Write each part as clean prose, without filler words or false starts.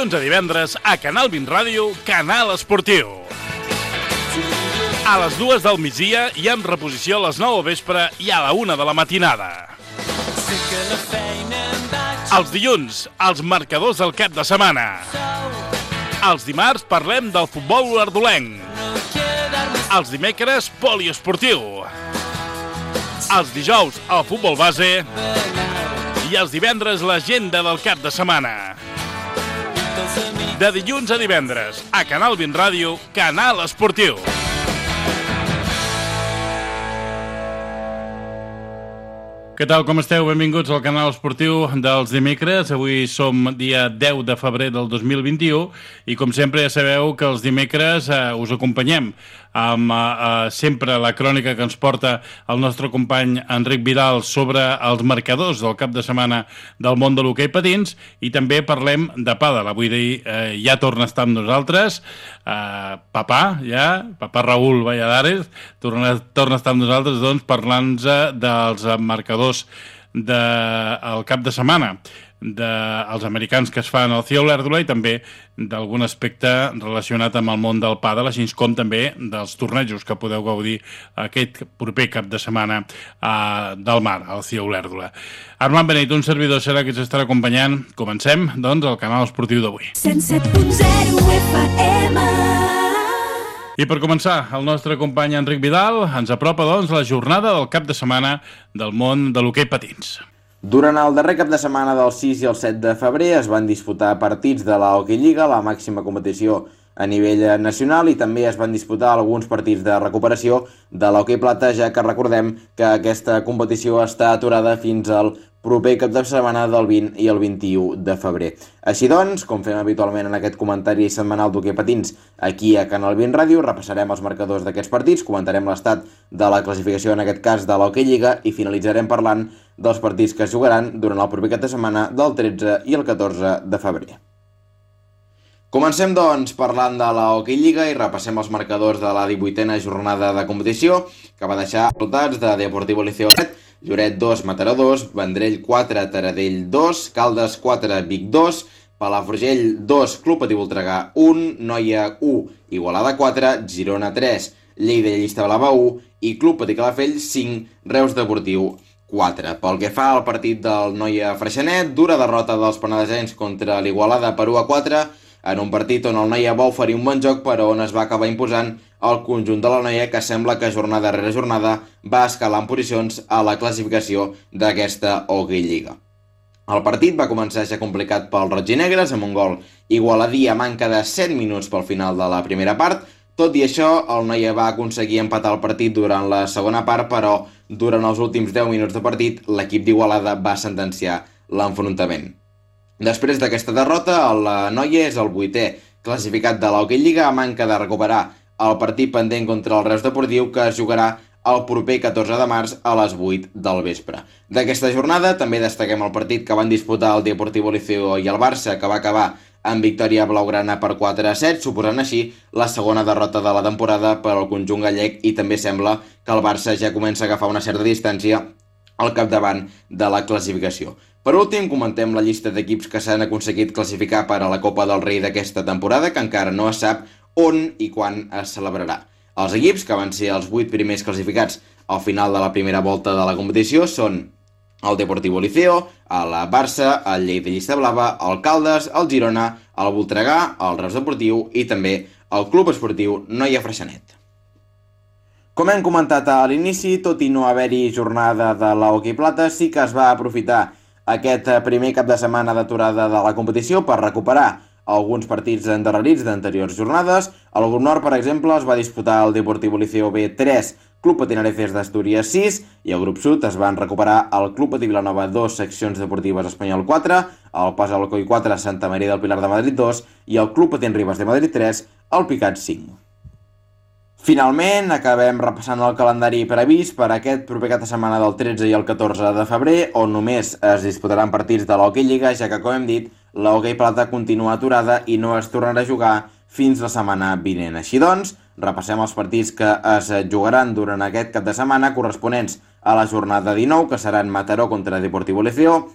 dilluns a divendres a Canal 20 Ràdio, Canal Esportiu. A les 2 del migdia i en reposició a les 9 del vespre i a la 1 de la matinada. Els dilluns, els marcadors del cap de setmana. Els dimarts parlem del futbol ardolenc. Els dimecres, poliesportiu. Els dijous, el futbol base. I els divendres, l'agenda del cap de setmana. De dilluns a divendres, a Canal 20 Ràdio, Canal Esportiu. Què tal, com esteu? Benvinguts al Canal Esportiu dels dimecres. Avui som dia 10 de febrer del 2021 i, com sempre, ja sabeu que els dimecres us acompanyem amb sempre la crònica que ens porta el nostre company Enric Vidal sobre els marcadors del cap de setmana del món de l'hoquei patins, i també parlem de pàdel. Avui ja torna a estar amb nosaltres Papà Raül Valladares torna a estar amb nosaltres, doncs, parlant-nos dels marcadors del cap de setmana dels americans que es fan al CIO Olèrdola i també d'algun aspecte relacionat amb el món del pàdel, així com també dels tornejos que podeu gaudir aquest proper cap de setmana del mar, al CIO Olèrdola. Armand Beneit, un servidor, serà que ens estarà acompanyant. Comencem, doncs, el canal esportiu d'avui. 107.0 FM. I per començar, el nostre company Enric Vidal ens apropa, doncs, la jornada del cap de setmana del món de l'hoquei patins. Durant el darrer cap de setmana del 6 i el 7 de febrer es van disputar partits de la Hockey Lliga, la màxima competició a nivell nacional, i també es van disputar alguns partits de recuperació de l'Hockey Plata, ja que recordem que aquesta competició està aturada fins al proper cap de setmana del 20 i el 21 de febrer. Així doncs, com fem habitualment en aquest comentari setmanal d'hoquei patins aquí a Canal 20 Ràdio, repassarem els marcadors d'aquests partits, comentarem l'estat de la classificació, en aquest cas de l'Hockey Lliga, i finalitzarem parlant dels partits que es jugaran durant el proper cap de setmana del 13 i el 14 de febrer. Comencem, doncs, parlant de la Hockey Lliga i repassem els marcadors de la 18a jornada de competició, que va deixar resultats de Deportivo Liceo 7, Lloret 2, Mataró 2, Vendrell 4, Taradell 2, Caldes 4, Vic 2, Palafrugell 2, Club Patí Voltregà 1, Noia 1, Igualada 4, Girona 3, Lleida i Llista Blava 1 i Club Patí Calafell 5, Reus Deportiu 4. Pel que fa al partit del Noia Freixenet, dura derrota dels penedesencs contra l'Igualada per 1-4, en un partit on el Noia va oferir un bon joc, però on es va acabar imposant el conjunt de la Noia, que sembla que jornada rere jornada va escalar en posicions a la classificació d'aquesta Hockey Lliga. El partit va començar ja complicat pels roig i negres, amb un gol igualadí a manca de 7 minuts pel final de la primera part. Tot i això, el Noia va aconseguir empatar el partit durant la segona part, però durant els últims 10 minuts de partit, l'equip d'Igualada va sentenciar l'enfrontament. Després d'aquesta derrota, el Noia és el 8è classificat de l'Hockey Lliga, a manca de recuperar el partit pendent contra el Reus Deportiu, que es jugarà el proper 14 de març a les 8 del vespre. D'aquesta jornada també destaquem el partit que van disputar el Deportivo Liceo i el Barça, que va acabar amb victòria blaugrana per 4-7, suposant així la segona derrota de la temporada per al conjunt gallec, i també sembla que el Barça ja comença a agafar una certa distància al capdavant de la classificació. Per últim, comentem la llista d'equips que s'han aconseguit classificar per a la Copa del Rei d'aquesta temporada, que encara no es sap on i quan es celebrarà. Els equips, que van ser els 8 primers classificats al final de la primera volta de la competició, són el Deportivo Liceo, el Barça, el Lleida Llista Blava, el Caldes, el Girona, el Voltregà, el Reus Deportiu i també el Club Esportiu Noia Freixenet. Com hem comentat a l'inici, tot i no haver-hi jornada de la Hockey Plata, sí que es va aprofitar aquest primer cap de setmana d'aturada de la competició per recuperar alguns partits endarrerits d'anteriors jornades. Al grup nord, per exemple, es va disputar el Deportivo Liceo B 3, Club Patí Areces d'Astúries 6, i al grup sud es van recuperar el Club Patí Vilanova 2, Seccions Deportives Espanyol 4, el Pas Alcoi 4, Santa Maria del Pilar de Madrid 2 i el Club Patí Ribes de Madrid 3, el Picat 5. Finalment, acabem repassant el calendari previst per aquest proper cap de setmana del 13 i el 14 de febrer, on només es disputaran partits de l'Hockey Lliga, ja que, com hem dit, la Hockey Plata continua aturada i no es tornarà a jugar fins la setmana vinent. Així doncs, repassem els partits que es jugaran durant aquest cap de setmana, corresponents a la jornada 19, que seran Mataró contra Deportivo Liceo,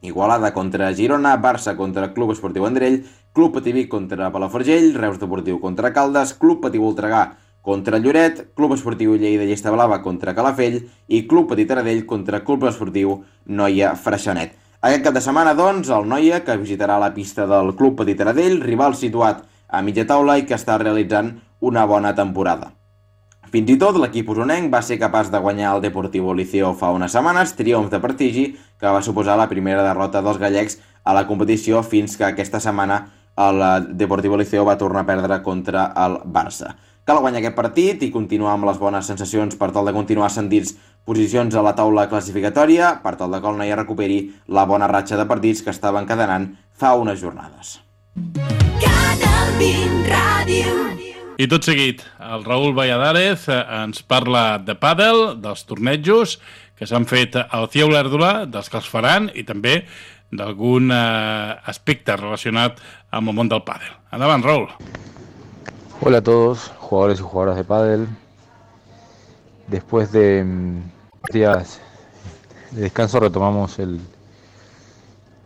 Igualada contra Girona, Barça contra Club Esportiu Vendrell, Club Patí Vic contra Palafrugell, Reus Deportiu contra Caldes, Club Patí Voltregà contra Lloret, Club Esportiu Lleida Llesta Blava contra Calafell i Club Patí Taradell contra Club Esportiu Noia Freixenet. Aquest cap de setmana, doncs, el Noia, que visitarà la pista del Club Patí Taradell, rival situat a mitja taula i que està realitzant una bona temporada. Fins i tot l'equip usonenc va ser capaç de guanyar el Deportivo Liceo fa unes setmanes, triomf de prestigi, que va suposar la primera derrota dels gallecs a la competició fins que aquesta setmana el Deportivo Liceo va tornar a perdre contra el Barça. Cal guanyar aquest partit i continuar amb les bones sensacions per tal de continuar ascendits posicions a la taula classificatòria, per tal de que el Noia recuperi la bona ratxa de partits que estava encadenant fa unes jornades. Canal 20 Ràdio. I tot seguit, el Raül Valladares ens parla de pàdel, dels tornejos que s'han fet al CIE Olèrdola, dels que els faran i també d'algun aspecte relacionat amb el món del pàdel. Endavant, Raül. Hola a todos, jugadores y jugadoras de pádel. Después de días de descanso retomamos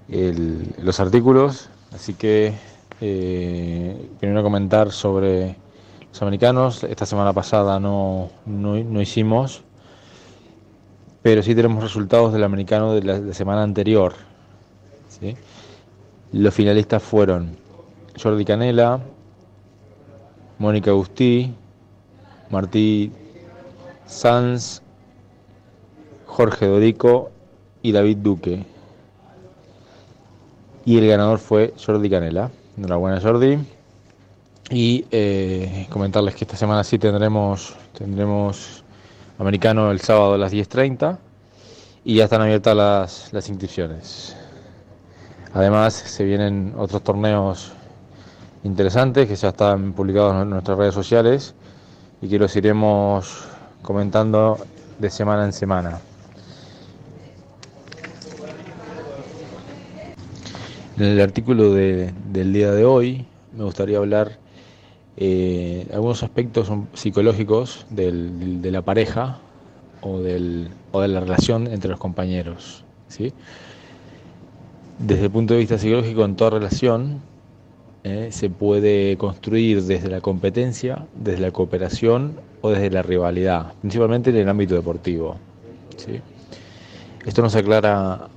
los artículos, así que primero comentar sobre los americanos. Esta semana pasada no hicimos, pero sí tenemos resultados del americano de la semana anterior, ¿sí? Los finalistas fueron Jordi Canela, Mónica Agustí, Martí Sanz, Jorge Dorico y David Duque. Y el ganador fue Jordi Canela. Enhorabuena, Jordi. Y comentarles que esta semana sí tendremos americano el sábado a las 10:30 y ya están abiertas las inscripciones. Además se vienen otros torneos interesantes que ya están publicados en nuestras redes sociales y que los iremos comentando de semana en semana. En el artículo del día de hoy me gustaría hablar algunos aspectos psicológicos de la pareja o de la relación entre los compañeros, ¿sí? Desde el punto de vista psicológico, en toda relación se puede construir desde la competencia, desde la cooperación o desde la rivalidad, principalmente en el ámbito deportivo, ¿sí? Esto nos aclara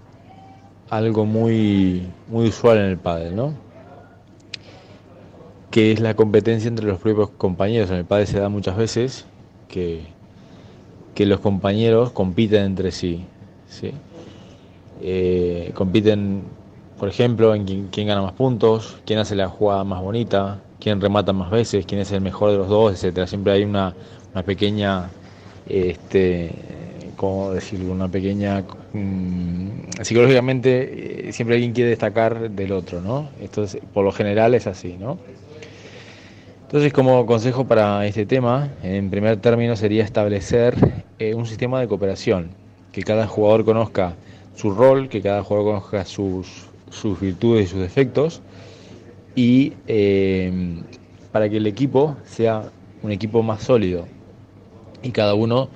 algo muy usual en el pádel, ¿no? Que es la competencia entre los propios compañeros. En el pádel se da muchas veces que los compañeros compiten entre sí, ¿sí? Compiten, por ejemplo, en quién gana más puntos, quién hace la jugada más bonita, quién remata más veces, quién es el mejor de los dos, etcétera. Siempre hay una pequeña, ¿cómo decirlo? Una pequeña, psicológicamente siempre alguien quiere destacar del otro, ¿no? Esto por lo general es así, ¿no? Entonces, como consejo para este tema, en primer término sería establecer un sistema de cooperación, que cada jugador conozca su rol, que cada jugador conozca sus virtudes y sus defectos, y para que el equipo sea un equipo más sólido y cada uno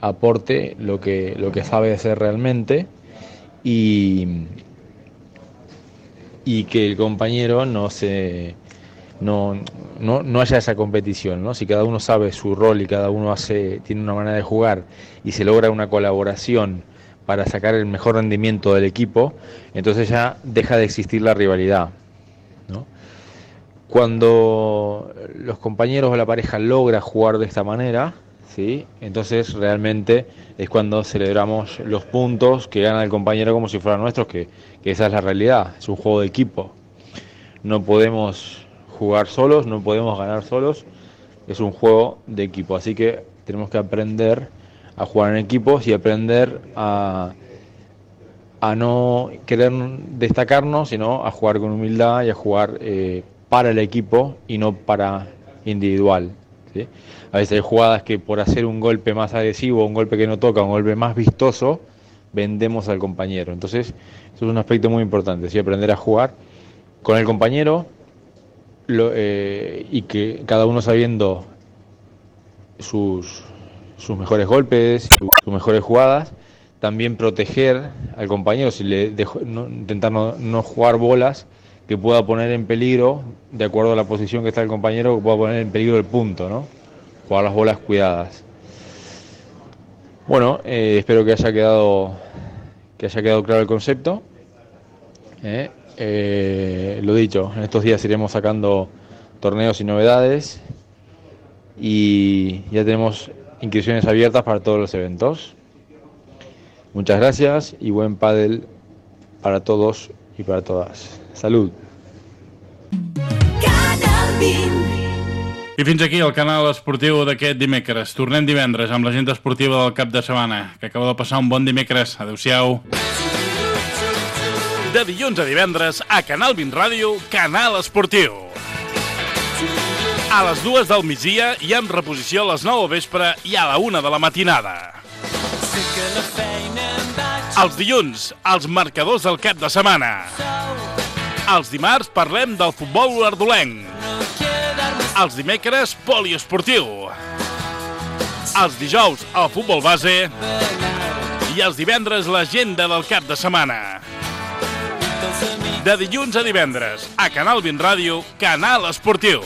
aporte lo que sabe hacer realmente y que el compañero no haya esa competición, ¿no? Si cada uno sabe su rol y cada uno tiene una manera de jugar y se logra una colaboración para sacar el mejor rendimiento del equipo, entonces ya deja de existir la rivalidad, ¿no? Cuando los compañeros o la pareja logra jugar de esta manera, ¿sí? Entonces realmente es cuando celebramos los puntos que gana el compañero como si fueran nuestros, que esa es la realidad, es un juego de equipo. No podemos jugar solos, no podemos ganar solos, es un juego de equipo, así que tenemos que aprender a jugar en equipos y aprender a no querer destacarnos, sino a jugar con humildad y a jugar para el equipo y no para individual, ¿sí? A veces hay jugadas que por hacer un golpe más agresivo, un golpe que no toca, un golpe más vistoso, vendemos al compañero. Entonces, eso es un aspecto muy importante, ¿sí? Aprender a jugar con el compañero y que cada uno sabiendo sus mejores golpes, sus mejores jugadas, también proteger al compañero, si le intentar no jugar bolas que pueda poner en peligro, de acuerdo a la posición que está el compañero, que pueda poner en peligro el punto, ¿no? Jugar las bolas cuidadas. Bueno, espero que haya quedado claro el concepto. Lo dicho, en estos días iremos sacando torneos y novedades y ya tenemos inscripciones abiertas para todos los eventos. Muchas gracias y buen pádel para todos y para todas. Salud. I fins aquí el canal esportiu d'aquest dimecres. Tornem divendres amb l'agenda esportiva del cap de setmana. Que acabeu de passar un bon dimecres. Adéu-siau. De dilluns a divendres a Canal 20 Ràdio, Canal Esportiu. A les 2 del migdia i amb reposició a les 9 del vespre i a la 1 de la matinada. Els dilluns, els marcadors del cap de setmana. Els dimarts parlem del futbol ardolenc. Els dimecres, poliesportiu. Els dijous, el futbol base. I els divendres, l'agenda del cap de setmana. De dilluns a divendres, a Canal 20 Ràdio, Canal Esportiu.